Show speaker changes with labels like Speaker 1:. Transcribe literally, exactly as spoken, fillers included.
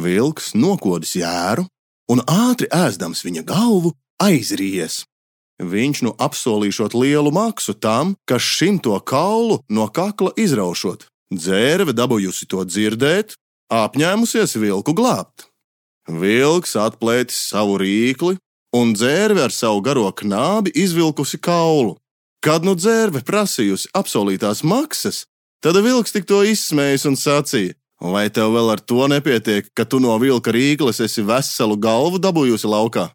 Speaker 1: Vilks nokodis jēru un ātri ēzdams viņa galvu aizries. Viņš nu apsolīšot lielu maksu tam, kas šimto kaulu no kakla izraušot. Dzērve dabūjusi to dzirdēt, apņēmusies vilku glābt. Vilks atplētis savu rīkli un dzērve ar savu garo knābi izvilkusi kaulu. Kad nu dzērve prasījusi apsolītās maksas, tad vilks tik to izsmējis un sacīja: vai tev vēl ar to nepietiek, ka tu no vilka rīkles esi veselu galvu dabūjusi laukā?